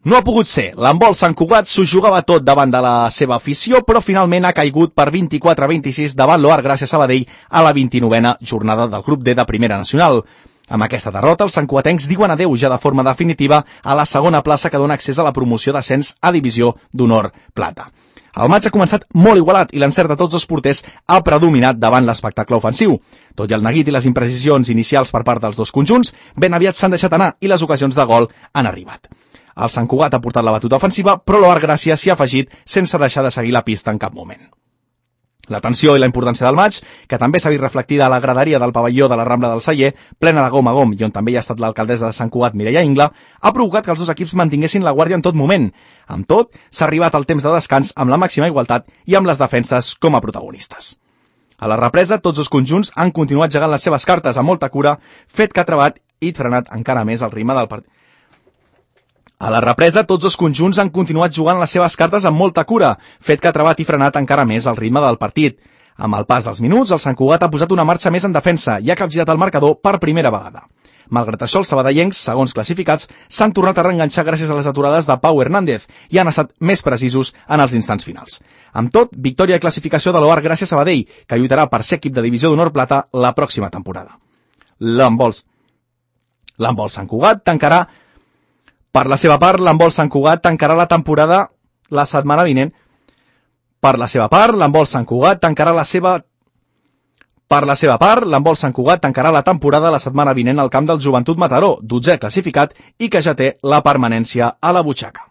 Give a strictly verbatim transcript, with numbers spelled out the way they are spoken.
No ha pogut ser. L'handbol Sant Cugat s'ho jugava tot davant de la seva afició, però finalment ha caigut per vint-i-quatre a vint-i-sis davant l'Oar Gràcia Sabadell a la vint-i-novena jornada del grup D de Primera Nacional. Amb aquesta derrota, els santcugatencs diuen adeu ja de forma definitiva a la segona plaça que dona accés a la promoció d'ascens a Divisió d'Honor Plata. El maig ha començat molt igualat i l'encert de tots dos porters ha predominat davant l'espectacle ofensiu. Tot i el neguit i les imprecisions inicials per part dels dos conjunts, ben aviat s'han deixat anar i les ocasions de gol han arribat. El Sant Cugat ha portat la batuta ofensiva, però l'Oar Gràcia s'hi ha afegit sense deixar de seguir la pista en cap moment. La tensió i la importància del maig, que també s'ha vist reflectida a la graderia del pavelló de la Rambla del Celler, plena de gom a gom i on també hi ha estat l'alcaldessa de Sant Cugat, Mireia Ingla, ha provocat que els dos equips mantinguessin la guàrdia en tot moment. Amb tot, s'ha arribat al temps de descans amb la màxima igualtat i amb les defenses com a protagonistes. A la represa, tots els conjunts han continuat jugant les seves cartes amb molta cura, fet que ha trebat i frenat encara més el ritme del partit. A la represa, tots els conjunts han continuat jugant les seves cartes amb molta cura, fet que ha trebat i frenat encara més el ritme del partit. Amb el pas dels minuts, el Sant Cugat ha posat una marxa més en defensa i ha capgirat el marcador per primera vegada. Malgrat això, els sabadellencs, segons classificats, s'han tornat a reenganxar gràcies a les aturades de Pau Hernández i han estat més precisos en els instants finals. Amb tot, victòria i classificació de l'Oar Gràcia Sabadell, que lluitarà per ser equip de Divisió d'Honor Plata la pròxima temporada. L'handbol L'handbol Sant Cugat tancarà Per la seva part, l'handbol Sant Cugat tancarà la temporada la setmana vinent. Per la seva part, l'handbol Sant Cugat tancarà la seva... Per la seva part, l'handbol Sant Cugat tancarà la temporada la setmana vinent al camp del Joventut Mataró, dotzè classificat i que ja té la permanència a la butxaca.